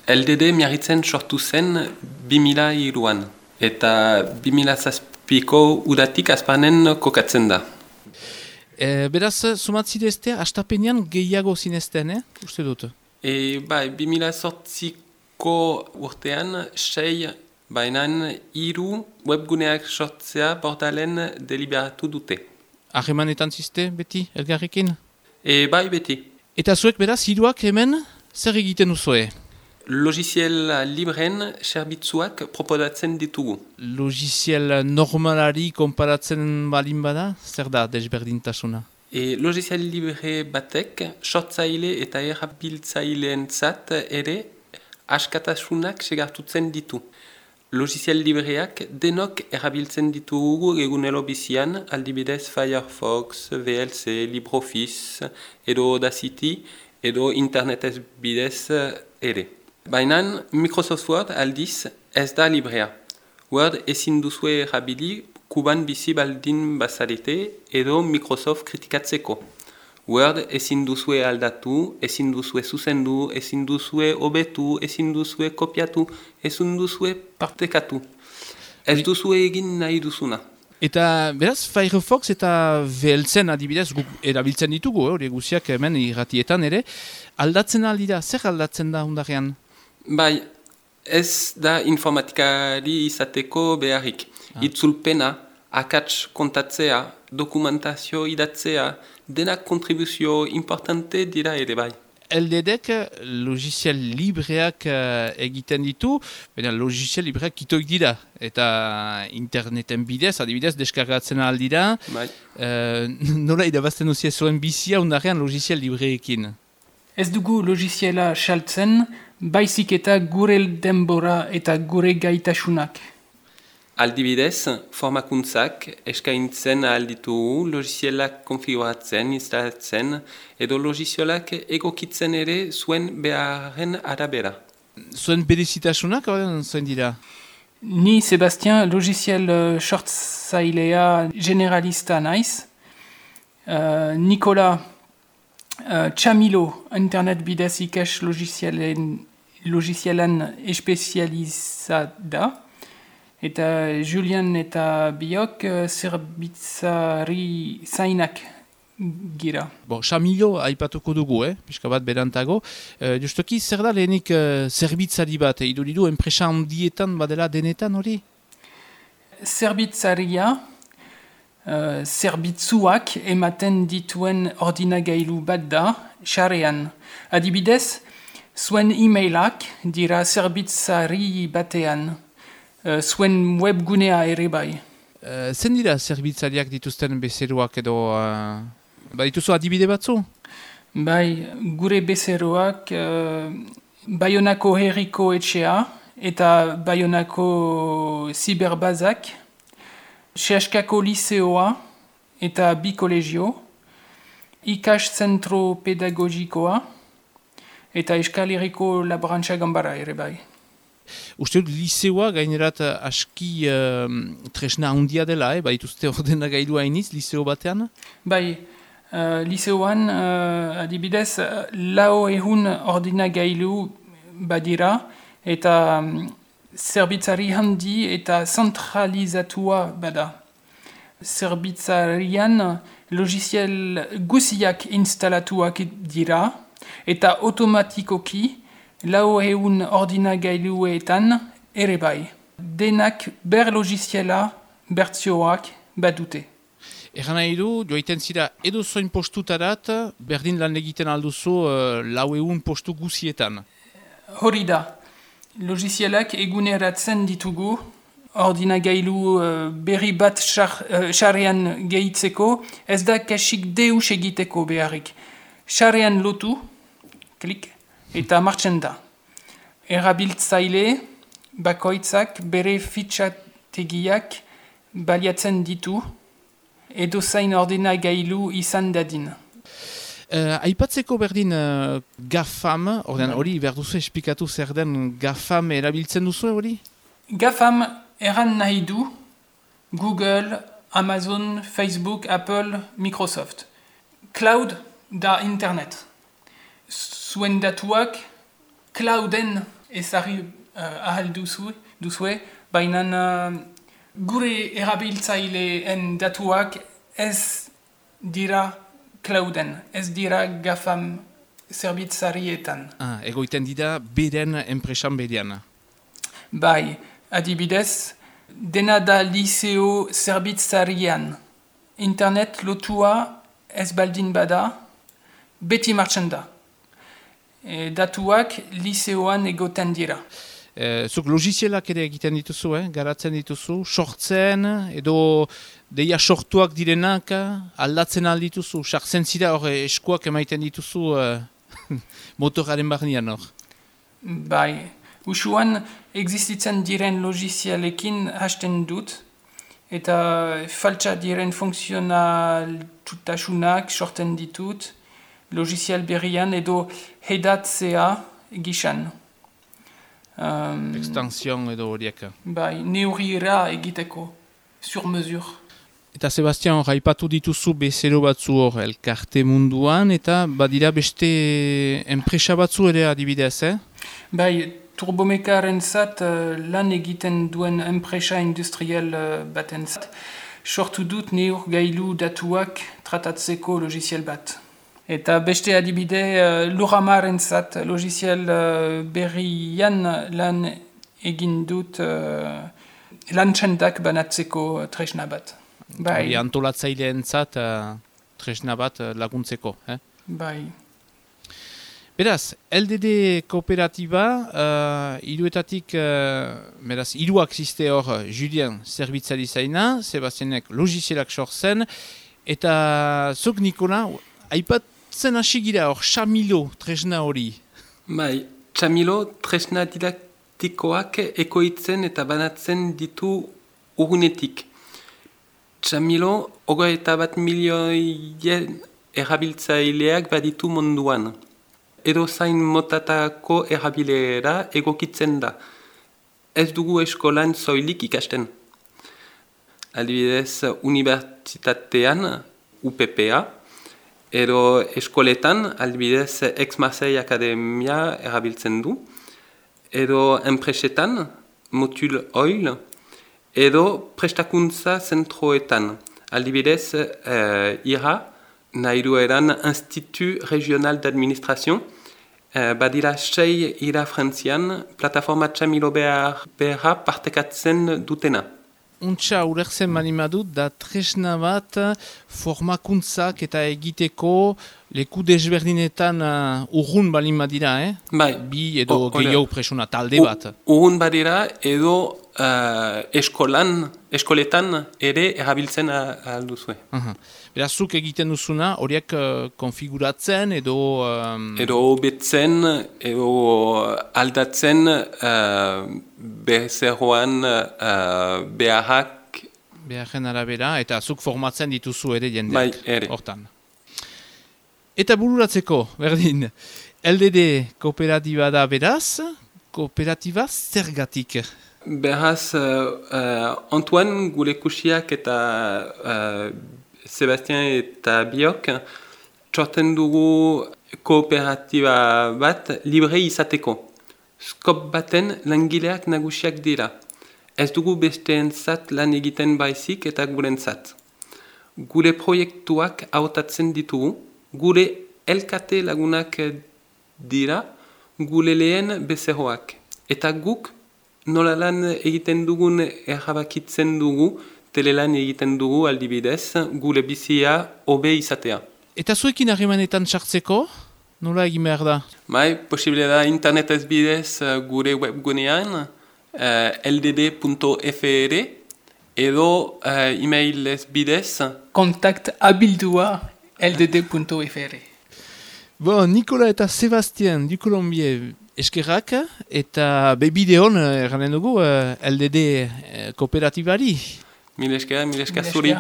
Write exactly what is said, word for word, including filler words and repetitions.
L D D miarritzen sortu zen bi mila hiruan, eta bi mila zazpiko udatik azpanen kokatzen da. E, beraz, sumatzidezte, astapenean gehiago zinezten, eh? Uste dut? E, bai, bi mila zortziko urtean, sei, bainan hiru webguneak sortzea portalen deliberatu dute. Harremanetan ziste, beti, elgarrekin? E, bai, beti. Eta zuek beraz, hiruak hemen, zer egiten uzue? Logiziel libren zerbitzuak proposatzen ditugu. Logiziel normalari konparatzen balin bada, zer da desberdintasuna? E, logiziel libre batek sortzaile eta erabiltzaileentzat ere askatasunak segartutzen ditu. Logiziel libreak denok erabiltzen ditugu egunero bizian, aldibidez Firefox, V L C, LibreOffice, edo Audacity, edo internetez bidez ere. Baina Microsoft Word aldiz ez da librea. Word ezin duzue erabili kuban bizi baldin bazarete edo Microsoft kritikatzeko. Word ezin duzue aldatu, ezin duzue zuzendu, ezin duzue hobetu, ezin duzue kopiatu, ezin duzue partekatu. Ez duzue egin nahi duzuna. Eta beraz, Firefox eta V L C adibidez guk erabiltzen ditugu, hori eh, guziak hemen irratietan ere, aldatzen aldira, zer aldatzen da undarrean? Bai, ez da informatikari izateko beharrik. Ah. Itzulpena, akats kontatzea, dokumentazio idatzea, denak kontribuzio importante dira ere bai. L D D-ek logiziel libreak uh, egiten ditu, baina logiziel libreak kitoik dira, eta interneten bidez, adibidez, deskargatzen aldira. Bai. Uh, nola idabazten duzia zuen bizia undarrean logiziel libreekin? Ez dugu logiziela saltzen, baizik eta gure denbora eta gure gaitasunak. Aldibidez, formakuntzak eskaintzen alditugu logizielak konfiguratzen, instalatzen, edo logizielak egokitzen ere zuen beharren arabera. Zuen berezitasunak, horren zuen dira? Ni, Sebastian, logiziel uh, sortzailea generalista naiz. Uh, Nikola uh, Txamilo, internet bidez ikas logizielan espezializat da. Eta Julian eta biok uh, zerbitzari zainak gira. Bon, Xamilo aipatuko dugu, eh? Piska bat berantago. Uh, justoki, zer da lehenik uh, zerbitzari bat? Eh? Iduridu, enpresa handietan badela denetan hori? Zerbitzaria, uh, zerbitzuak ematen dituen ordinagailu bat da, xarean. Adibidez, zuen e-mailak dira zerbitzari batean. Uh, zuen webgunea ere bai. Uh, zen dira zerbitzariak dituzten bezeroak edo... Uh, ba dituzu adibide batzu? Bai, gure bezeroak uh, Baionako herriko etxea eta Baionako ziberbazak, Seaskako liseoa eta bi kolegio, ikas zentro pedagogikoa eta Euskal Herriko laborantza ganbara ere bai. Uste dut, liseoa gainerat aski uh, tresna handia dela, eh? Ba dituzte ordenagailu hainiz, liseo batean? Bai, uh, liseoan uh, adibidez lau ehun ordinagailu badira eta um, zerbitzari handi eta zentralizatua bada. Zerbitzarian logiziel guziak instalatuak dira eta automatikoki lau ehun ordinagailuetan ere bai. Denak ber logiziela bertzioak badute. Egan nahi du, joaiten zira edo zoin postutarat, berdin lan egiten alduzu uh, lau ehun postu guzietan. Hori da, logizielak eguneratzen ditugu, ordinagailu uh, berri bat xarrean uh, gehitzeko, ez da kasik deus egiteko beharrik. Xarrean lotu, klik, eta martxen da. Erabiltzaile, bakoitzak bere fitxategiak baliatzen ditu, edo zain ordenagailu izan dadin. Uh, aipatzeko berdin uh, GAFAM, ordean hori behar duzu esplikatu zer den GAFAM erabiltzen duzu hori? GAFAM eran nahi du Google, Amazon, Facebook, Apple, Microsoft. Cloud da internet. Zuen datuak clouden ezarri uh, ahal duzu, duzue, baina uh, gure erabiltzaileen datuak ez dira clouden, ez dira gafam zerbitzarietan. Ah, egoiten dira beren enpresan berean. Bai, adibidez, dena da liceo zerbitzarian. Internet lotua ez baldin bada, beti martxan da. E, datuak liceoan egoten dira. E, zuk logizielak ere egiten dituzu, eh? Garatzen dituzu, sortzen, edo deia sortuak direnak, aldatzen aldituzu, sartzen zira hor eskuak emaiten dituzu uh, motoraren barnean hor. Bai, usuan existitzen diren logizialekin hasten dut, eta faltsa diren funtzionaltasunak sortzen ditut, logizial berrian edo hedatzea gisan. Um, Extension edo horiek. Bai, neurriera egiteko, sur mesure. Eta Sebastian, hor, haipatu dituzu bezero batzu hor elkarte munduan, eta badira beste enpresa batzu ere adibidez, eh? Bai, turbomekaren zat uh, lan egiten duen enpresa industrial uh, baten zat, sortu dut neur gailu datuak tratatzeko logizial bat. Eta beste adibide uh, Luramaren zat logizial uh, berrian lan egin dut uh, lantxendak banatzeko tresna bat. Bai. Antolatzaileen zat uh, tresna bat uh, laguntzeko. Eh? Bai. Beraz, L D D kooperatiba, uh, iruetatik, uh, beraz, iruak ziste hor Julien zerbitzari zaina, Sebastianek logizielak sortzen, eta zuk Nikola, aipatzen hasi gira hor, Xamilo tresna hori. Bai, Xamilo tresna didaktikoak ekoitzen eta banatzen ditu urgunetik. Xamilo, hogeita bat milioien erabiltzaileak baditu munduan. Edo zain motatako erabilera egokitzen da. Ez dugu eskolan zoilik ikasten. Adibidez, unibertsitatean, U P P A, edo eskoletan, adibidez, Aix-Marseille Akademia erabiltzen du, edo enpresetan, Motul Oil, edo prestakuntza zentroetan, adibidez, eh, ira, nahi dueran Institut Regional d'Administration, eh, badira sei ira frantzian, plataforma Xamilo behar, beharra partekatzen dutena. Untxa urertzen manimadut da tresna bat formakuntzak eta egiteko leku desberdinetan uh, urrun balin badira, eh? Bai. Bi edo O, gehiago presuna, talde bat. Urrun badira edo uh, eskolan, eskoletan ere erabiltzen alduzue. Uh-huh. Beraz, zuk egiten duzuna, horiek uh, konfiguratzen edo... Um... Edo hobetzen, edo aldatzen uh, bezeroan uh, beharrak. Beharren arabera, eta zuk formatzen dituzu ere jendeak. Bai, ere. Hortan. Eta bururatzeko, berdin, L D D kooperatiba da beraz, kooperatiba zergatik? Beraz, uh, uh, Antoine gure kusiak eta uh, Sebastian eta biok txorten dugu kooperatiba bat libre izateko. Skop baten langileak nagusiak dira. Ez dugu besteentzat lan egiten baizik eta gurentzat. Gure proiektuak hautatzen ditugu, gure elkate lagunak dira, gure lehen bezeroak. Eta guk nola lan egiten dugun errabakitzen dugu, telelan egiten dugu aldibidez, gure bizia hobe izatea. Eta zuekin harremanetan sartzeko, nola egin behar da? Bai, posible da internetez bidez gure webgunean, uh, l d d punto f r, edo uh, emailez bidez. Kontakt abildua l d d punto f r. Bon, Nikola eta Sebastian du Colombier eskerrak, eta bebideon, erranen dugu, uh, L D D uh, kooperatibari. Mil esker, mil esker zuri.